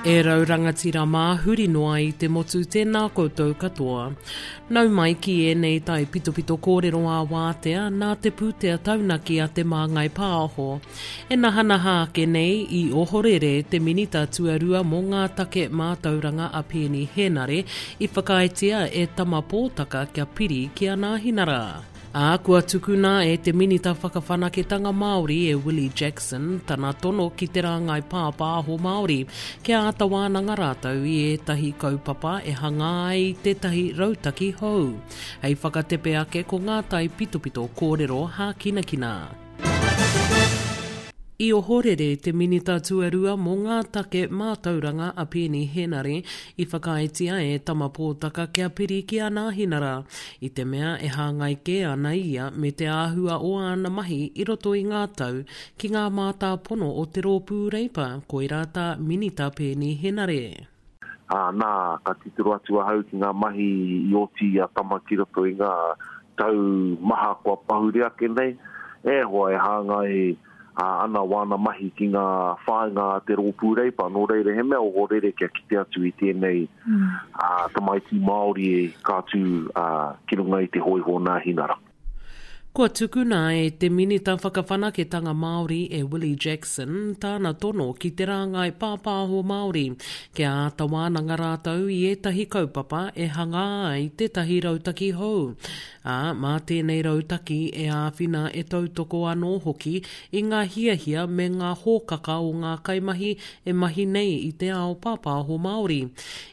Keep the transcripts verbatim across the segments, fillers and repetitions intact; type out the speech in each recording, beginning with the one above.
E rau rangatira mā huri noa i te motu tēnā koutou katoa. Nau mai ki ēnei tai pitopito kōrero ā wātea nā te pūtea taunaki a Te Māngai Pāho. E nahanaha ake nei i ohorere te minita tuarua mō ngā take mātauranga a Peeni Henare i whakaaetia e Tama Pōtaka kia piri ki a Nāhinara. Ā, kua tukuna e te Minita Whakawhanaketanga Māori e Willie Jackson tana tono ki te rāngai pāpāho Māori kia āta wānanga rātou i ētahi kaupapa e hanga ai tētahi rautaki hou. Hei whakatepe ake ko ngā tai pitopito kōrero hākinakina. I ohorere te Minita Tuarua mō ngā take mātauranga a Peeni Henare i whakaaetia e Tama Pōtaka kia piri ki a Nāhinara, i te mea e hāngai kē ana ia me te āhua o āna mahi i roto i ngā tau ki ngā mātāpono o te rōpū Reipa, koirā tā Minita Peeni Henare. Ā, nā, ka titiro atu ahau ki ngā mahi i oti i a Tama ki roto i ngā tau maha kua pahure ake nei, e hoa e hāngai ana wāna mahi ki ngā whāinga a te rōpū Reipa. Nō reira, he mea ohorere kia kite atu i tēnei mm. uh, tamaiti Māori e ka tū uh, ki runga i te hōiho Nāhinara. Kua tukuna e te Minita Whakawhanaketanga Māori e Willie Jackson tāna tono ki te rāngai pāpāho Māori kia āta wānanga rātou i ētahi kaupapa e hanga ai tētahi rautaki hou. Ā, mā tēnei rautaki e āwhina e tautoko anō hoki i ngā hiahia me ngā hōkaka o ngā kaimahi e mahi nei i te ao pāpāho Māori.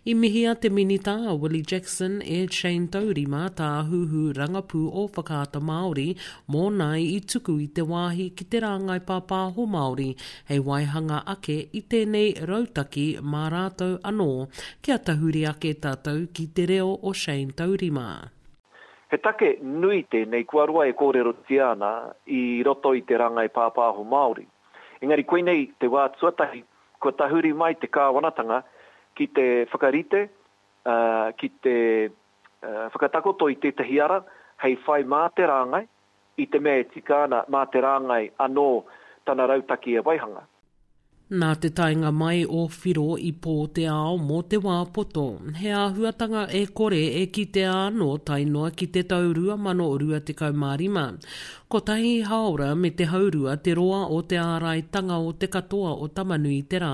I mihia te Minita a Willie Jackson e Shane Taurima tāhuhu rangapū o Whakaata Māori mōna i tuku i te wāhi ki te rāngai pāpāho Māori hei waihanga ake i tēnei rautaki mā rātou anō kia tahuri ake tātou ki te reo o Shane Taurima. He take nui tēnei kua roa e kōrerotia ana i roto i te rāngai pāpāho Māori. Engari koinei te wā tuatahi kua tahuri mai te kāwanatanga ki te whakarite, uh, ki te uh, whakatakoto i tētahi ara hei whai mā te rāngai, i te mea e tika ana mā te rāngai anō tana rautaki e waihanga. Nā te taenga mai o Whiro i pō te ao mō te wā poto, he āhuatanga e kore e kitea anō tae noa ki te tau rua mano rua tekau mā rima. Kotahi haora me te haurua te roa o te āraitanga o te katoa o Tamanui te rā,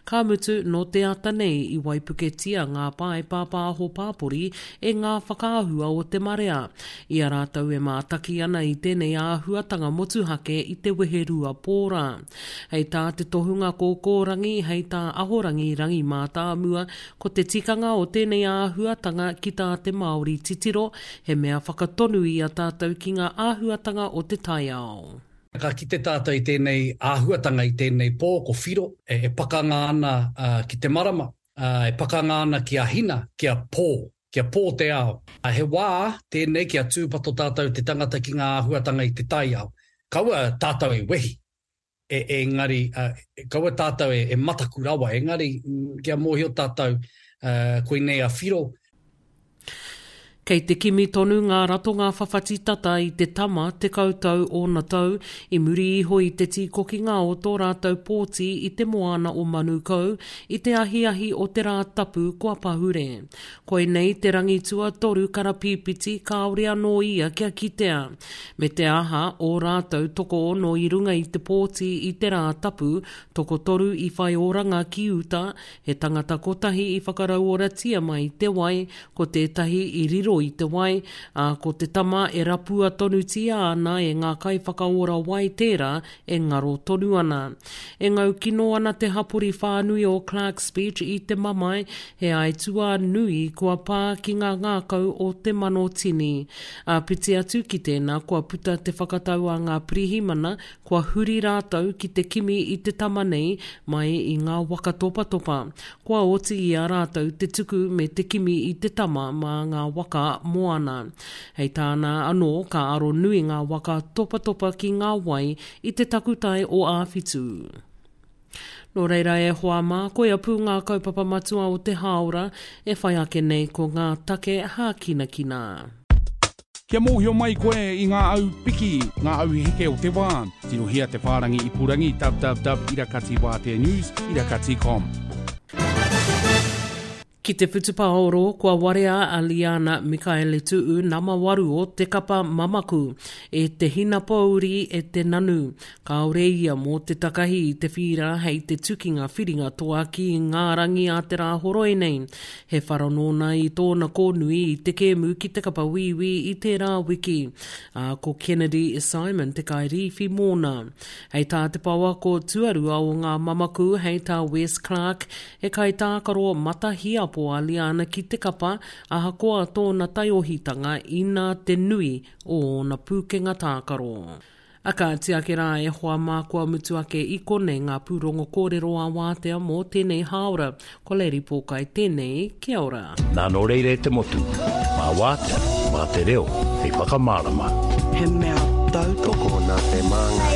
ka mutu nō te ata nei i waipuketia ngā pae pāpāho pāpori e ngā whakaahua o te marea. I a rātou e mātaki ana i tēnei āhuatanga motuhake i te weherua pōra. Hei tā te tohunga kōkōrangi, hei tā Ahorangi Rangi Mātāmua, ko te tikanga o tēnei āhuatanga ki tā te Māori titiro, he mea whakatonu i a tātou ki ngā āhuatanga o te taiao. Ka kite tātou i tēnei āhuatanga, i tēnei pō, ko Whiro, e, e pakanga ana uh, ki te marama, uh, e pakanga ana ki a Hina, ki a Pō, kia pō te ao. He wā tēnei kia tūpato tātou te tangata ki ngā āhuatanga i te taiao. Kaua tātou e wehi, e, engari, uh, kaua tātou e, e mataku rawa, engari kia mōhio tātou uh, koinei a Whiro. Kei te kimi tonu ngā ratonga whawhati tata i te tama tekau tau ōna tau i muri iho i te tīkokinga o tō rātou pōti i te moana o Manukau i te ahiahi o te rā tapu kua pahure. Koinei te rangi tuatoru karapīpiti kāore anō ia kia kitea. Me te aha o rātou tokoono i runga i te pōti i te rā tapu, tokotoru i whai oranga ki uta, he tangata kotahi i whakarauoratia mai te wai, ko tētahi i riro i te wai, ā, ko te tama e rapua tonutia ana e ngā kaiwhakaora wai tērā e ngaro tonu ana. E ngau kino ana te hapori whānui o Clarks Beach i te mamae, he aituā nui kua pā ki ngā ngākau o te mano tini. Āpiti atu ki tēnā kua puta te whakatau a ngā pirihimana, kua huri rātou ki te kimi i te tama nei mai i ngā waka topatopa. Kua oti i a rātou te tuku me te kimi i te tama mā ngā waka moana. Hei tāna anō ka aro nui ngā waka topatopa ki ngā wai i te takutai o Āwhitu. Nō reira e hoa mā, koia pū ngā kaupapa matua o te hāora e whai ake nei ko ngā take hākinakina. Kia mōhio mai koe i ngā au piki, ngā au heke o te wā. Tirohia te whārangi ipurangi www irakati wātea news irakati com. Ki te whutupaoro, kua warea a Liana Mikaele-Tu'u nama waru o te kapa mamaku, e te hinapōuri e te nanu. Kāore ia mō te takahi i te whīra hei te tukinga whiringa toa ki ngā rangi a te Rāhoroi nei. He whara nōna i tōna kōnui i te kēmu ki te kapa Wīwī i tērā wiki, ā, ko Kennedy Simon te kairīwhi mōna. Hei tā te pouako tuarua o ngā mamaku, hei tā Wes Clarke, he kaitākaro matahiapo a Liana ki te kapa, ahakoa tōna taiohitanga inā te nui o ōna pūkenga tākaro. A kāti ake rā e hoa mā kua mutu ake i konei ngā pūrongo kōrero a wātea mō tēnei hāora. Ko Lady Pōkai tēnei, kia ora. Nā nō reira e te motu, mā wātea, mā te reo, hei whakamārama. He mea tautoko nā te māngai.